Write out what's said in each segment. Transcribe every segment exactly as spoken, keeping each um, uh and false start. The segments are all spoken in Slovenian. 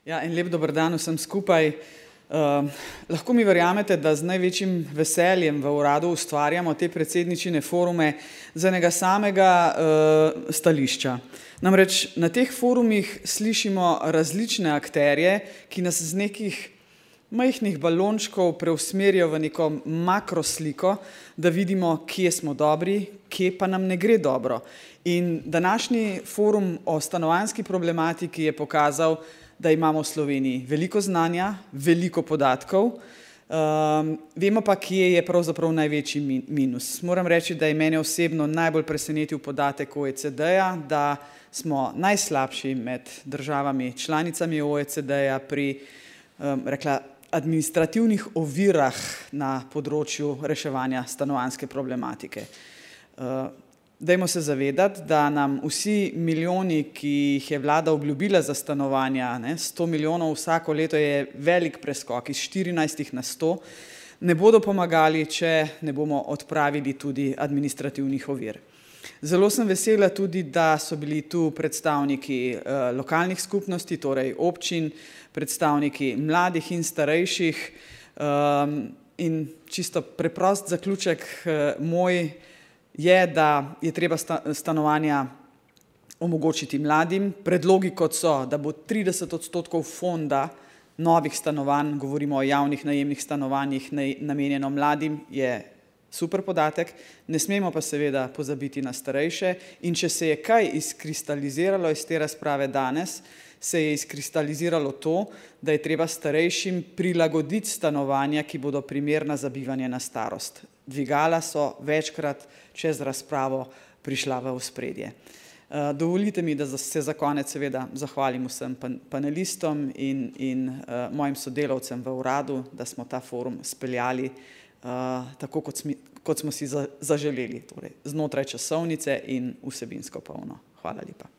Ja, en lep dober dan vsem skupaj. Uh, lahko mi verjamete, da z največjim veseljem v uradu ustvarjamo te predsedničine forume z enega samega uh, stališča. Namreč na teh forumih slišimo različne akterje, ki nas z nekih majhnih balončkov preusmerijo v neko makrosliko, da vidimo, kje smo dobri, kje pa nam ne gre dobro. In današnji forum o stanovanjski problematiki je pokazal, da imamo v Sloveniji veliko znanja, veliko podatkov, um, vemo pa, kje je pravzaprav največji minus. Moram reči, da je mene osebno najbolj presenetil podatek O E C D-ja, da smo najslabši med državami članicami O E C D-ja pri, um, rekla, administrativnih ovirah na področju reševanja stanovanjske problematike. Uh, Dajmo se zavedati, da nam vsi milijoni, ki jih je vlada obljubila za stanovanja, ne, sto milijonov vsako leto je velik preskok iz štirinajstih na sto, ne bodo pomagali, če ne bomo odpravili tudi administrativnih ovir. Zelo sem vesela tudi, da so bili tu predstavniki eh, lokalnih skupnosti, torej občin, predstavniki mladih in starejših um, in čisto preprost zaključek eh, moj je, da je treba stanovanja omogočiti mladim. Predlogi kot so, da bo trideset odstotkov fonda novih stanovanj, govorimo o javnih najemnih stanovanjih, namenjeno mladim, je super podatek. Ne smemo pa seveda pozabiti na starejše in če se je kaj izkristaliziralo iz te razprave danes, se je izkristaliziralo to, da je treba starejšim prilagoditi stanovanja, ki bodo primerna za bivanje na starost. Dvigala so večkrat čez razpravo prišla v ospredje. Dovolite mi, da se za konec seveda zahvalim vsem panelistom in, in uh, mojim sodelavcem v uradu, da smo ta forum speljali uh, tako, kot, smi, kot smo si za, zaželeli, torej znotraj časovnice in vsebinsko polno. Hvala lepa.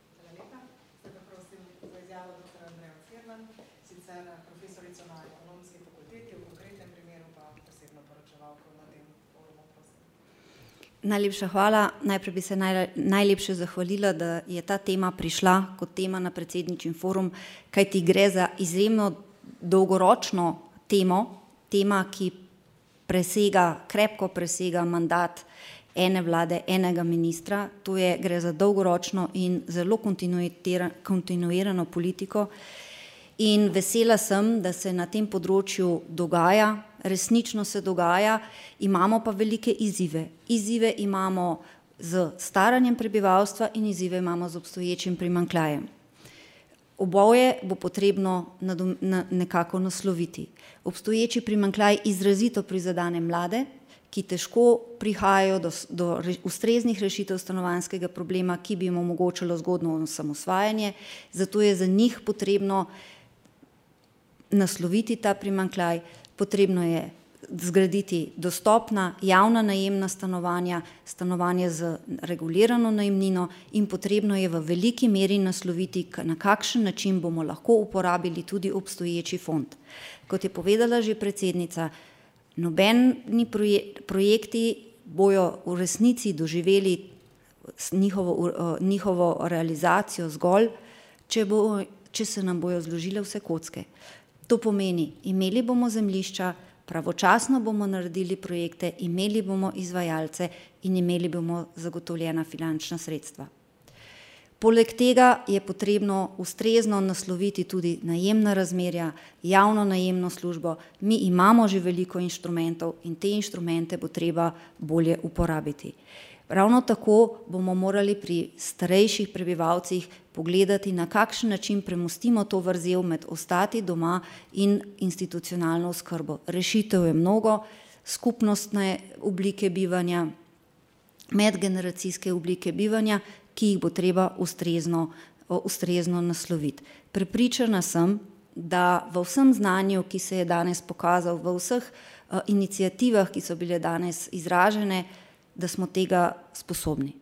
Najlepša hvala. Najprej bi se naj, najlepše zahvalila, da je ta tema prišla kot tema na predsedničin forum, kajti gre za izjemno dolgoročno temo, tema, ki presega, krepko presega mandat ene vlade, enega ministra. To je, gre za dolgoročno in zelo kontinuirano politiko. In vesela sem, da se na tem področju dogaja, resnično se dogaja, imamo pa velike izzive. Izzive imamo z staranjem prebivalstva in izzive imamo z obstoječim primanjkljajem. Oboje bo potrebno nekako nasloviti. Obstoječi primanjkljaj izrazito prizadene mlade, ki težko prihajajo do, do ustreznih rešitev stanovanjskega problema, ki bi jim omogočilo zgodnjo osamosvajanje, zato je za njih potrebno nasloviti ta primanjkljaj. Potrebno je zgraditi dostopna javna najemna stanovanja, stanovanja z regulirano najemnino in potrebno je v veliki meri nasloviti, na kakšen način bomo lahko uporabili tudi obstoječi fond. Kot je povedala že predsednica, nobeni projekti bojo v resnici doživeli njihovo, njihovo realizacijo zgolj, če, bo, če se nam bojo zložile vse kocke. To pomeni, imeli bomo zemljišča, pravočasno bomo naredili projekte, imeli bomo izvajalce in imeli bomo zagotovljena finančna sredstva. Poleg tega je potrebno ustrezno nasloviti tudi najemna razmerja, javno najemno službo. Mi imamo že veliko inštrumentov in te inštrumente bo treba bolje uporabiti. Ravno tako bomo morali pri starejših prebivalcih pogledati, na kakšen način premostimo to vrzel med ostati doma in institucionalno oskrbo. Rešitev je mnogo, skupnostne oblike bivanja, medgeneracijske oblike bivanja, ki jih bo treba ustrezno, ustrezno nasloviti. Prepričana sem, da v vsem znanju, ki se je danes pokazal, v vseh uh, iniciativah, ki so bile danes izražene, da smo tega sposobni.